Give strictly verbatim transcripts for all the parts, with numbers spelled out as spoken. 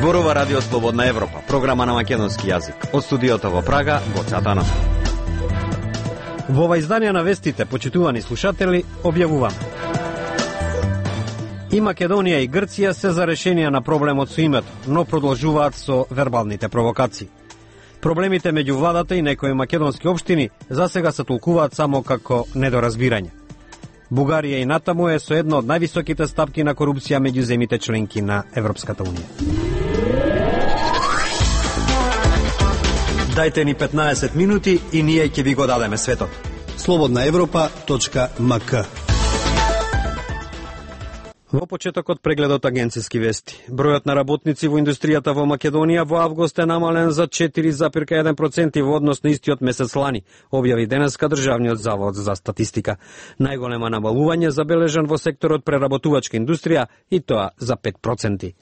Зборува Радио Слободна Европа, програма на македонски јазик. Од студиото во Прага, Гоце Атанасов. Во ова издание на вестите, почитувани слушатели, објавувам. И Македонија и Грција се за решение на проблемот со името, но продолжуваат со вербалните провокации. Проблемите меѓу владата и некои македонски општини засега се толкуваат само како недоразбирање. Бугарија и натаму е со една од највисоките стапки на корупција меѓу земите членки на Европската унија. Дајте ни петнаесет минути и ние ќе ви го дадеме светот. слободна европа точка ем ка. Во почетокот прегледот агенциски вести. Бројот на работници во индустријата во Македонија во август е намален за четири зарез еден проценти во однос на истиот месец лани, објави денеска Државниот завод за статистика. Најголема намалување забележан во секторот преработувачка индустрија и тоа за пет проценти.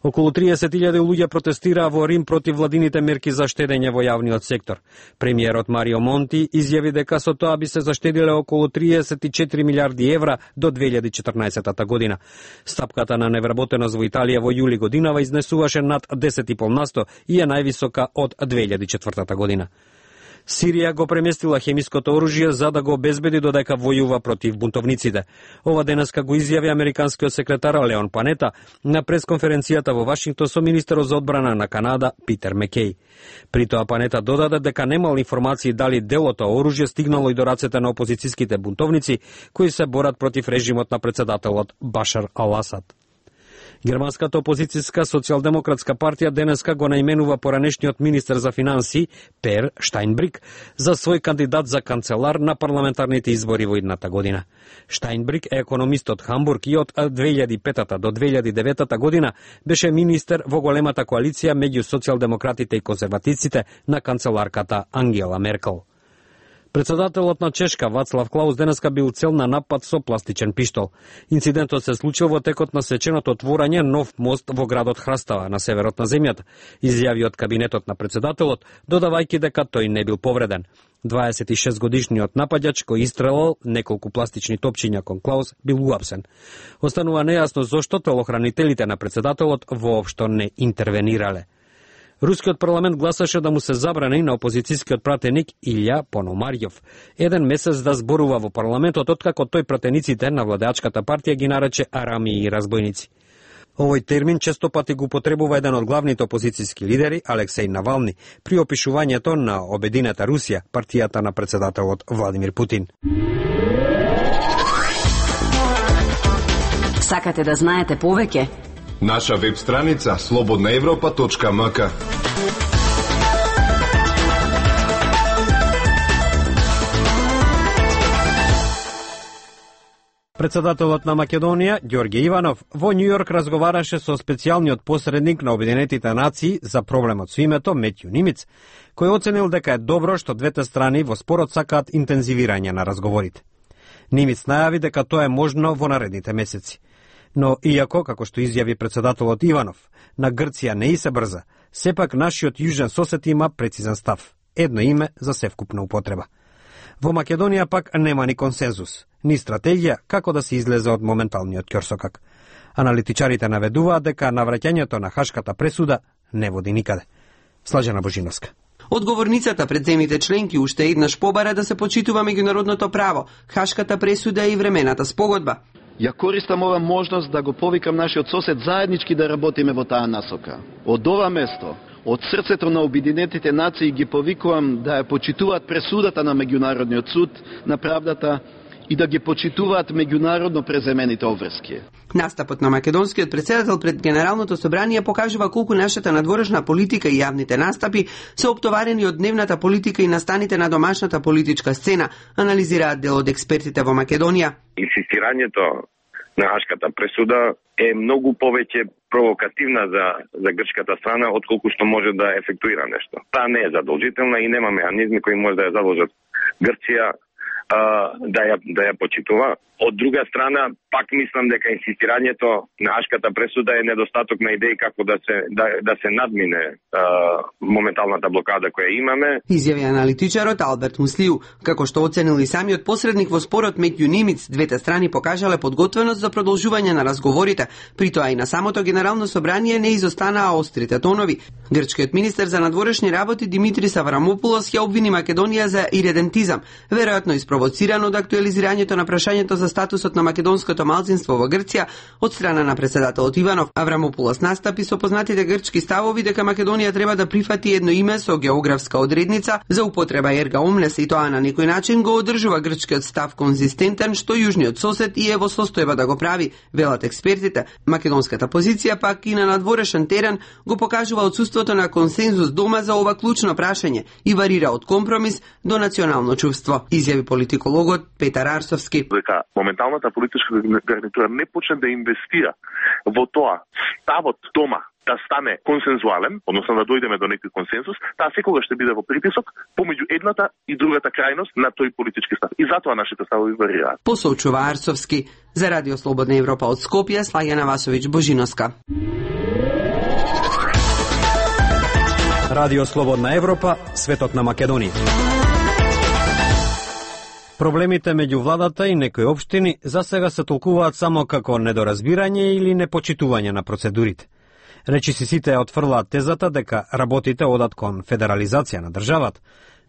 Околу триесет илјади луѓе протестираа во Рим против владините мерки за штедење во јавниот сектор. Премиерот Марио Монти изјави дека со тоа би се заштедиле околу триесет и четири милиарди евра до две илјади и четрнаесетта година. Стапката на невработеност во Италија во јули годинава изнесуваше над десет и пет насто и е највисока од две илјади и четвртата година. Сирија го преместила хемиското оружје за да го обезбеди додека војува против бунтовниците. Ова денеска го изјави американскиот секретар Леон Панета на пресконференцијата во Вашингтон со министерот за одбрана на Канада Питер Мекеј. При тоа Панета додаде дека немал информации дали делото оружје стигнало и до рацете на опозицијските бунтовници кои се борат против режимот на председателот Башар ал-Асад. Германската опозицијска социјалдемократска партија денеска го наименува поранешниот министер за финансии Пер Штајнбрик за свој кандидат за канцелар на парламентарните избори во идната година. Штајнбрик е економист од Хамбург и од две илјади и петта до две илјади и деветта година беше министер во големата коалиција меѓу социјалдемократите и конзервативците на канцеларката Ангела Меркел. Председателот на Чешка Вацлав Клаус денеска бил цел на напад со пластичен пиштол. Инцидентот се случил во текот на свеченото отворање нов мост во градот Храстава на северот на земјата, изјави од кабинетот на председателот, додавајќи дека тој не бил повреден. дваесет и шест годишниот напаѓач кој истрелал неколку пластични топчиња кон Клаус бил уапсен. Останува нејасно зошто телохранителите на председателот воопшто не интервенирале. Рускиот парламент гласаше да му се забрани на опозицијскиот пратеник Илја Пономарјов еден месец да зборува во парламентот откако тој пратениците на владеачката партија ги нарече арами и разбойници. Овој термин често пати го употребува еден од главните опозицијски лидери Алексеј Навални при опишувањето на обединета Русија, партијата на председателот Владимир Путин. Сакате да знаете повеќе? Наша веб страница слободна европа точка ем ка. Председателот на Македонија, Ѓорѓе Иванов, во Њујорк разговараше со специјалниот посредник на Обединетите нации за проблемот со името Метју Нимиц, кој оценил дека е добро што двете страни во спорот сакаат интензивирање на разговорите. Нимиц најави дека тоа е можно во наредните месеци. Но иако, како што изјави председателот Иванов, на Грција не и се брза, сепак нашиот јужен сосед има прецизен став. Едно име за севкупна употреба. Во Македонија пак нема ни консензус, ни стратегија како да се излезе од моменталниот ќорсокак. Аналитичарите наведуваат дека навраќањето на Хашката пресуда не води никаде. Слажена Божиновска. Одговорницата пред земите членки уште еднаш побара да се почитува меѓународното право, Хашката пресуда и времената спогодба. Ја користам ова можност да го повикам нашиот сосед заеднички да работиме во таа насока. Од ова место, од срцето на Обединетите нации ги повикувам да ја почитуваат пресудата на Меѓународниот суд на правдата и да ги почитуваат меѓународно преземените обврски. Настапот на македонскиот председател пред Генералното собрание покажува колку нашата надворешна политика и јавните настапи се оптоварени од дневната политика и настаните на домашната политичка сцена, анализираат дел од експертите во Македонија. Инсистирањето на Хашката пресуда е многу повеќе провокативна за, за грчката страна, отколку што може да ефектуира нешто. Таа не е задолжителна и нема механизми кои може да ја задолжат Грција да ја да ја почитува. Од друга страна, пак мислам дека инсистирањето на Хашката пресуда е недостаток на идеи како да се да, да се надмине а, моменталната блокада која имаме. Изјави аналитичарот Алберт Муслиу, како што оценил и самиот посредник во спорот меѓу Нимиц, двете страни покажале подготвеност за продолжување на разговорите, при тоа и на самото Генерално собрание не изостанаа острите тонови. Грчкиот министер за надворешни работи Димитрис Аврамопулос ја обвини Македонија за иредентизам, веројатно испровоцирано од актуализирањето на прашањето за статусот на македонското малцинство во Грција од страна на претседателот Иванов. Аврамопулос настапи со познатите грчки ставови дека Македонија треба да прифати едно име со географска одредница за употреба ерга омнес и тоа на некој начин го одржува грчкиот став конзистентен што јужниот сосед и е во состојба да го прави, велат експертите. Македонската позиција пак и на надворешен терен го покажува отсуството на консензус дома за ова клучно прашање и варира од компромис до национално чувство, изјави политикологот Петар Арсовски. Дека моменталната политичка гарнитура не почне да инвестира во тоа ставот дома да стане консензуален, односно да дојдеме до некој консензус, таа секогаш ќе биде во притисок помеѓу едната и другата крајност на тој политички став. И затоа нашите ставови варираат. Посочува Арсовски. За Радио Слободна Европа од Скопје, Слаѓана Васовиќ Божиноска. Радио Слободна Европа, светот на Македонија. Проблемите меѓу владата и некои општини за сега се толкуваат само како недоразбирање или непочитување на процедурите. Речиси сите отфрлаат тезата дека работите одат кон федерализација на државата,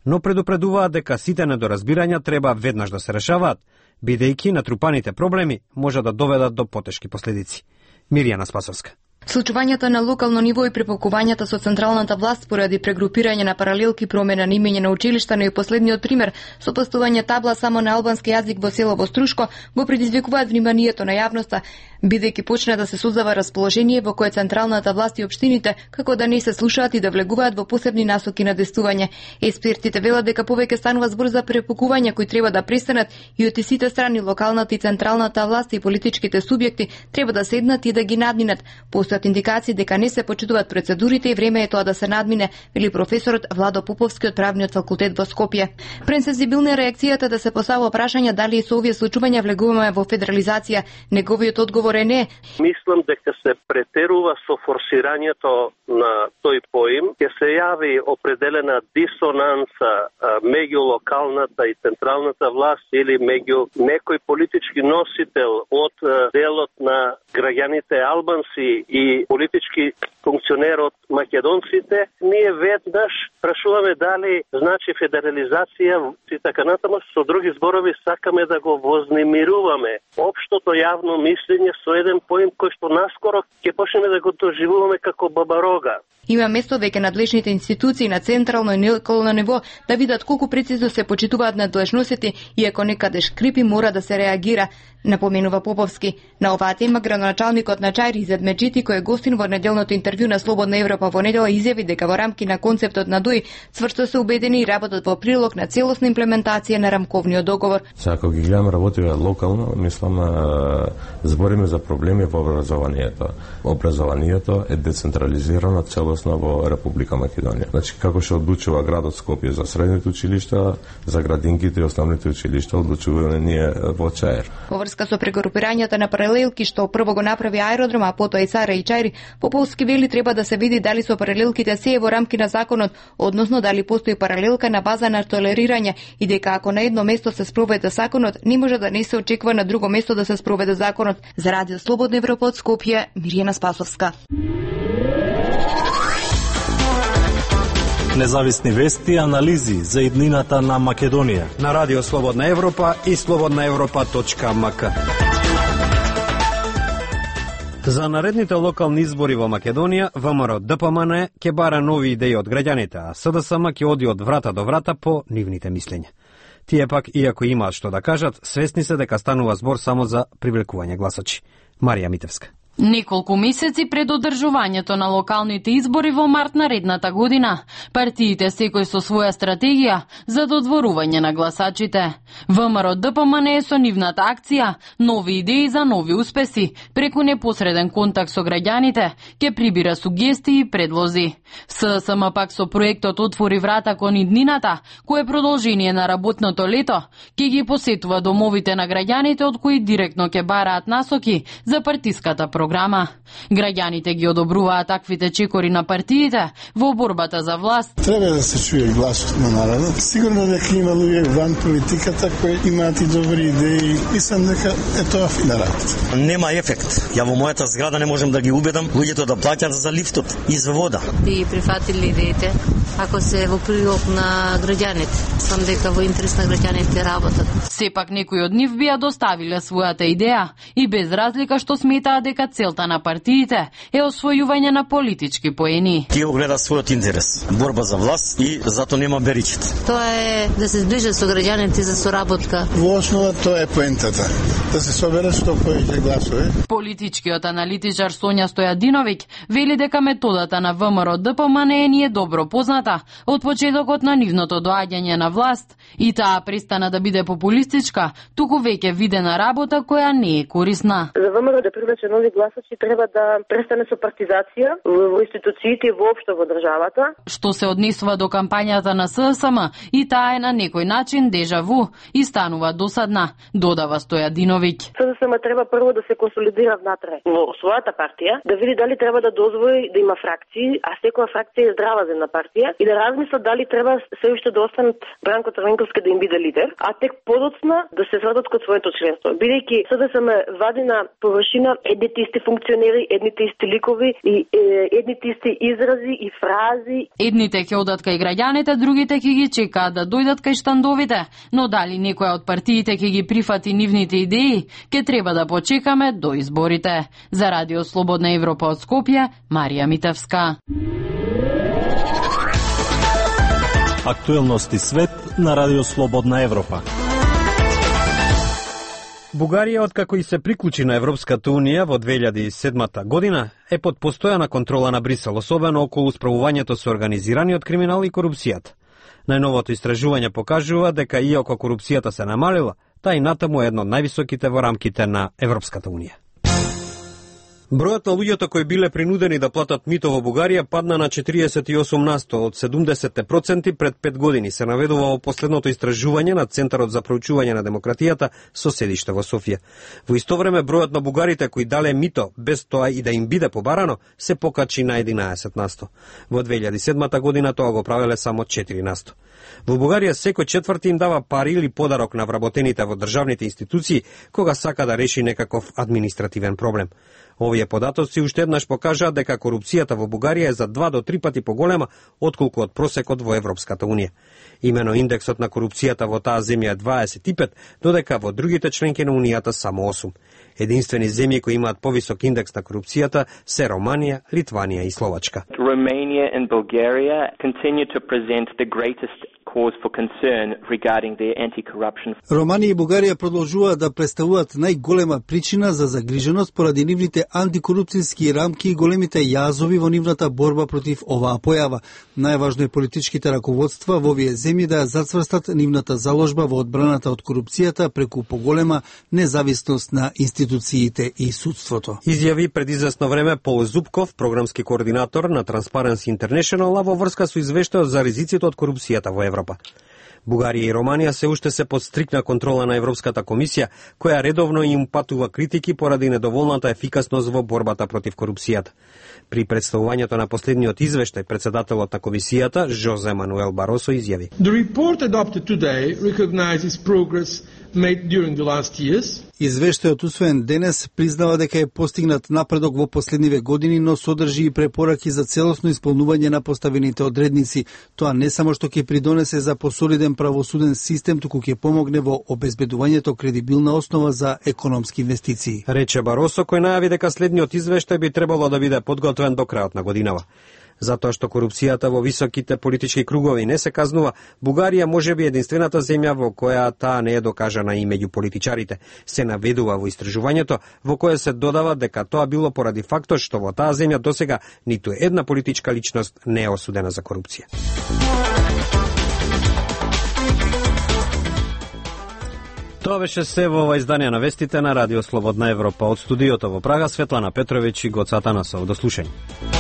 но предупредуваат дека сите недоразбирања треба веднаш да се решаваат, бидејќи натрупаните проблеми може да доведат до потешки последици. Мирјана Спасовска. Случувањата на локално ниво и препакувањата со централната власт поради прегрупирање на паралелки, промена на имење на училишта, но и последниот пример со постување табла само на албански јазик во село Струшко го предизвикуваат вниманието на јавноста, бидејќи почна да се создава расположение во кое централната власт и општините како да не се слушаат и да влегуваат во посебни насоки на действување. Експертите велат дека повеќе станува збор за препакувања кои треба да престанат и од сите страни, локалната и централната власт и политичките субјекти треба да седнат и да ги надминат. Постојат индикации дека не се почитуваат процедурите и време е тоа да се надмине, вели професорот Владо Поповски од правниот факултет во Скопје. Пресензибилна е реакцијата да се поставува прашање дали и со овие случувања влегуваме во федерализација. Неговиот одговор е не. Мислам дека се претерува со форсирањето на тој поим, ќе се јави определена дисонанса меѓу локалната и централната власт или меѓу некој политички носител од делот на граѓаните албанци и политички функционер од македонците. Ние веднаш прашуваме дали значи федерализација и така натаму, со други зборови сакаме да го вознемируваме општото јавно мислење со еден поим кој што наскоро ќе почнеме да го доживуваме како бабарога. Има место веќе надлежните институции на централно и локално ниво да видат колку прецизно се почитуваат надлежностите и ако некаде шкрипи мора да се реагира, напоменува Поповски. На оваа тема градоначалникот на Чаир Изет Меджити, кој е гостин во неделното интервју на Слободна Европа во недела, изјави дека во рамки на концептот на ДОИ цврсто се убедени и работат во прилог на целосна имплементација на рамковниот договор. Сега, ако ги гледаме работите локално, мислам, збориме за проблеми во образованието. Образованието е децентрализирано целосно во Република Македонија. Значи, како што одлучува градот Скопје за средните училишта, за градинките и основните училишта, одлучуваме ние во Чаир. Во врска со прегрупирањата на паралелки што прво го направи аеродром, а потоа и Сара и Чаир, Поповски вели треба да се види дали со паралелките се е во рамки на законот, односно дали постои паралелка на база на толерирање и дека ако на едно место се спроведе законот, не може да не се очекува на друго место да се спроведе законот. За Радио Слободна Европа од Скопје, Мирјана Спасовска. Независни вести и анализи за иднината на Македонија на Радио Слободна Европа и слободна европа точка ем ка. За наредните локални избори во Македонија, ВМРО Д П М Н ќе бара нови идеи од граѓаните, а С Д С М ќе оди од врата до врата по нивните мислења. Тие пак, иако имаат што да кажат, свесни се дека станува збор само за привлекување гласачи. Марија Митевска. Неколку месеци пред одржувањето на локалните избори во март наредната година, партиите секој со своја стратегија за додворување на гласачите. ВМРО Д П М Н е со нивната акција нови идеи за нови успеси, преку непосреден контакт со граѓаните, ќе прибира сугестии и предлози. С С М пак со проектот Отвори врата кон иднината, кој е продолжение на работното лето, ќе ги посетува домовите на граѓаните од кои директно ќе бараат насоки за партиската програма. Граѓаните ги одобруваат таквите чекори на партиите во борбата за власт. Треба да се чуе гласот на народот. Сигурно дека има луѓе ван политиката кои имаат и добри идеи. Мислам дека е тоа фина работа. Нема ефект. Ја во мојата зграда не можам да ги убедам луѓето да плаќаат за лифтот и за вода. И прифатили идеите ако се во прилог на граѓаните. Сам дека во интерес на граѓаните работат. Сепак некои од нив бија доставиле својата идеја и без разлика што сметаат дека целта на партиите е освојување на политички поени. Тие го гледа својот интерес, борба за власт и зато нема беричите. Тоа е да се зближат со граѓаните за соработка. Во основа тоа е поентата, да се соберат што повеќе гласове. Политичкиот аналитичар Сонја Стојадиновиќ вели дека методата на ВМРО Д П М Н не е добро позната од почетокот на нивното доаѓање на власт и таа престана да биде популистичка, туку веќе видена работа која не е корисна. За ВМРО да привлече нови гласачи треба да престане со партизација во институциите и воопшто во државата. Што се однесува до кампањата на С С М, и таа е на некој начин дежаву и станува досадна, додава Стојадиновиќ. С С М треба прво да се консолидира внатре во својата партија, да види дали треба да дозволи да има фракции, а секоја фракција е здрава за една партија и да размисла дали треба се уште да останат Бранко Црвенковски да им биде лидер, а тек подоцна да се вратат кон своето членство. Бидејќи С Д С М вади на површина едните исти функционери, едните исти ликови и е, едните исти изрази и фрази. Едните ќе одат кај граѓаните, другите ќе ги чекаат да дојдат кај штандовите, но дали некоја од партиите ќе ги прифати нивните идеи, ќе треба да почекаме до изборите. За Радио Слободна Европа од Скопје, Марија Митевска. Актуелности свет на Радио Слободна Европа. Бугарија, откако и се приклучи на Европската Унија во две илјади и седма година, е под постојана контрола на Брисел, особено околу справувањето со организираниот криминал и корупцијата. Најновото истражување покажува дека иако корупцијата се намалила, таа и натаму е едно од највисоките во рамките на Европската Унија. Бројот на луѓето кои биле принудени да платат мито во Бугарија падна на четириесет и осум на сто од седумдесет проценти пред пет години, се наведува во последното истражување на Центарот за проучување на демократијата со седиште во Софија. Во исто време бројот на бугарите кои дале мито без тоа и да им биде побарано се покачи на единаесет на сто. Во две илјади и седма година тоа го правеле само четири на сто. Во Бугарија секој четврти им дава пари или подарок на вработените во државните институции кога сака да реши некаков административен проблем. Овие податоци уште еднаш покажаат дека корупцијата во Бугарија е за два до три пати поголема отколку од просекот во Европската Унија. Имено индексот на корупцијата во таа земја е дваесет и пет, додека во другите членки на Унијата само осум. Единствени земји кои имаат повисок индекс на корупцијата се Романија, Литванија и Словачка. Romania and Bulgaria continue to present the greatest cause for concern regarding their anti-corruption. Романија и Бугарија продолжуваат да представуваат најголема причина за загриженост поради нивните антикорупцијски рамки и големите јазови во нивната борба против оваа појава. Најважно е политичките раководства во овие земји да ја зацврстат нивната заложба во одбраната од корупцијата преку поголема независност на институциите и судството. Изјави пред известно време Пол Зубков, програмски координатор на Transparency International, а во врска со извештајот за ризиците од корупцијата во Европа. Бугарија и Романија се уште се под стрикна контрола на Европската комисија, која редовно им патува критики поради недоволната ефикасност во борбата против корупцијата. При представувањето на последниот извештај, председателот на комисијата, Жозе Мануел Баросо, изјави: The report adopted today recognizes progress made during the last years. Извештајот усвоен денес признава дека е постигнат напредок во последниве години, но содржи и препораки за целосно исполнување на поставените одредници. Тоа не само што ќе придонесе за посолиден правосуден систем, туку ќе помогне во обезбедувањето кредибилна основа за економски инвестиции. Рече Баросо, кој најави дека следниот извештај би требало да биде подготвен до крајот на годинава. Затоа што корупцијата во високите политички кругови не се казнува, Бугарија можеби единствената земја во која таа не е докажана и меѓу политичарите. Се наведува во истражувањето во кое се додава дека тоа било поради фактот што во таа земја досега ниту една политичка личност не е осудена за корупција. Тоа беше се во ова издание на вестите на Радио Слободна Европа. Од студиото во Прага, Светлана Петровиќ и Гоца Атанасов. До слушање.